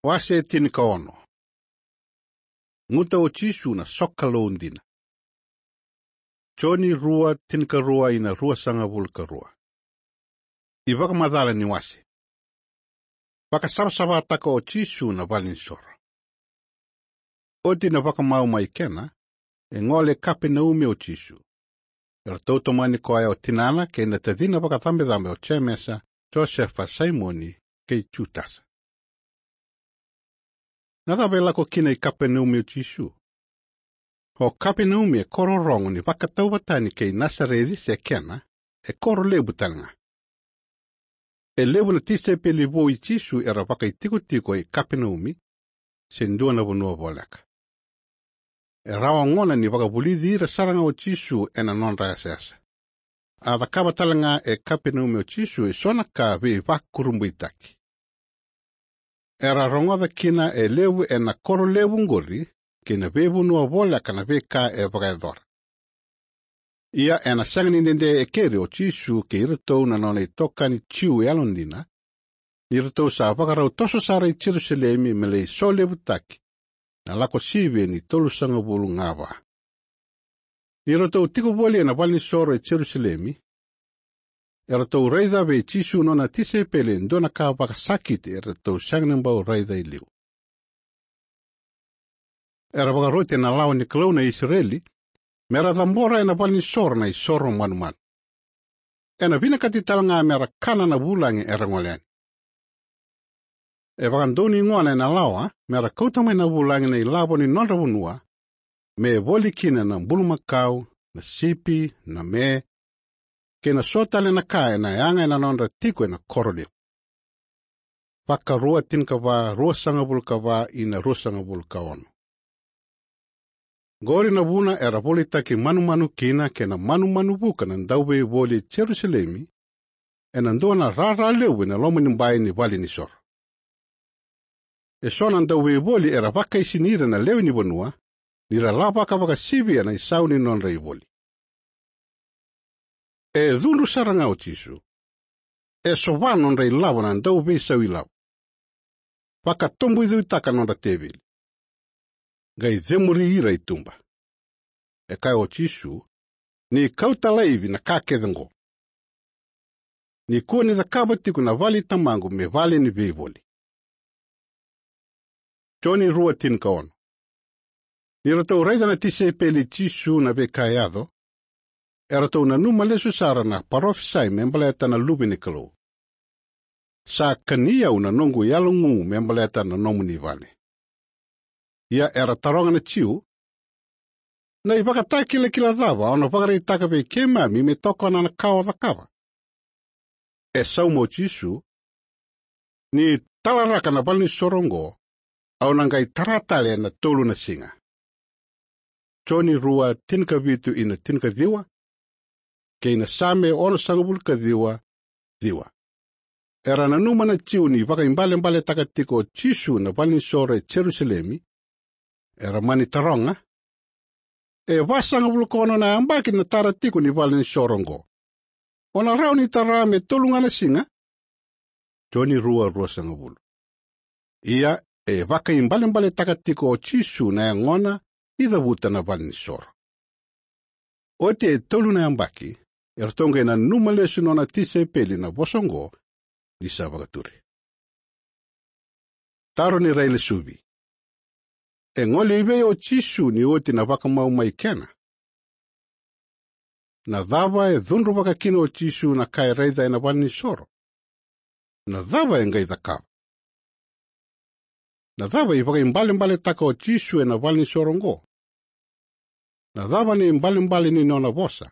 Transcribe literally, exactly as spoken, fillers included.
Wase tinikaono. Guta o Jisu na sokalou dina. Joni rua tinikarua ina ruasagavulu ka rua. iVakamacala ni wase. Vakasavasavataka o Jisu na valenisoro. Oti na vakamau mai Kena, e gole Kapenaumi o Jisu. Eratou tomani koya o tinana kei na tacina vakacabecabe o Jemesa, Josefa, Saimoni kei Jutasa. Na cava e lako kina i Kapenaumi o Jisu? O Kapenaumi e koro rogo ni vakatauvatani kei Nasareci se Kena, e koro levu talega. E levu na tisaipeli vou i Jisu era vakaitikotiko i Kapenaumi, se dua na vanua voleka. E rawa gona ni vakavulici ira saraga o Jisu ena nodra yasayasa. A cakava talega e Kapenaumi o Jisu eso na ka veivakurabuitaki. Era rogoca kina e levu ena koro levu qori, kei na veivanua voleka na veika e vakayacora. Ia ena sega ni dede e keri o Jisu kei iratou na nona itokani Jiu yalodina, ni ratou sa vakarau toso sara i Jerusalemi me lai solevutaki na lako sivia ni tolusagavulu ga va. Ni ratou tiko voli ena valenisoro e Jerusalemi, eratou raica vei Jisu nona tisaipeli e dua na ka vakasakiti eratou sega ni bau raica e liu. Era vakaroti ena lawa ni Kalou na Isireli, mera cabora ena valenisoro na isoro manumanu. Ena vinakati talega mera kana na vulagi era gole yani. E vakadonui gona ena lawa mera kauta mai na vulagi na ilavo ni nodra vanua, me voli kina na bulumakau, na sipi, na me, kei na so tale na ka ena yaga ena nodra tiko ena koro levu. Vakarua tinikava, ruasagavulu ka va ina ruasagavulu ka ono. Qori na vuna era volitaki manumanu kina kei na manumanu vuka na dauveivoli e Jerusalemi, ena dua na rara levu ena loma ni bai ni valenisoro. Eso na dauveivoli era vakaisini ira na lewe ni vanua, ni ra lavaka vakasivia na isau ni nodra ivoli. E cudru sara ga o Jisu. E sova nodra ilavo na dauveisau ilavo. Vakatoboicuitaka nodra teveli. Qai cemuri ira i tuba. E kaya o Jisu, ni kauta laivi na ka kece qo. Ni kua ni cakava tiko na vale i tamaqu me vale ni veivoli. Joni rua tinikaono. Ni ratou raica na tisaipeli i Jisu na veika e yaco, eratou nanuma lesu sara na parofisai me baleta na Luve ni Kalou. Sa kani au na noqu yalogu me baleta na nomuni vale. Ia era taroga na Jiu, na ivakatakilakila cava o na vakaraitaka vei keimami me tokona na ka o cakava? E sauma o Jisu, ni talaraka na valenisoro oqo, au na qai tara tale ena tolu na siga. Joni rua tinikavitu ina tinikaciwa, kei na Same onosagavulu ka ciwa, ciwa. Era nanuma na Jiu ni vakaibalebaletaka tiko o Jisu na valenisoro e Jerusalemi, era mani taroga, e vasagavulu ka ono na yabaki na tara tiko ni valenisoro oqo. O na rawa ni tara me tolu ga na siga? Joni rua ruasagavulu. Ia e vakaibalebaletaka tiko o Jisu na yagona ni cavuta na valenisoro. Oti e tolu na yabaki, eratou qai nanuma lesu nona tisaipeli na vosa oqo ni sa vakaturi. Taro ni railesuvi. E gole i vei o Jisu ni oti na vakamau mai Kena? Na cava e cudruvaka kina o Jisu na ka e raica ena valenisoro? Na cava e qai cakava? Na cava e vakaibalebaletaka o Jisu ena valenisoro oqo? Na cava na ibalebale ni nona vosa?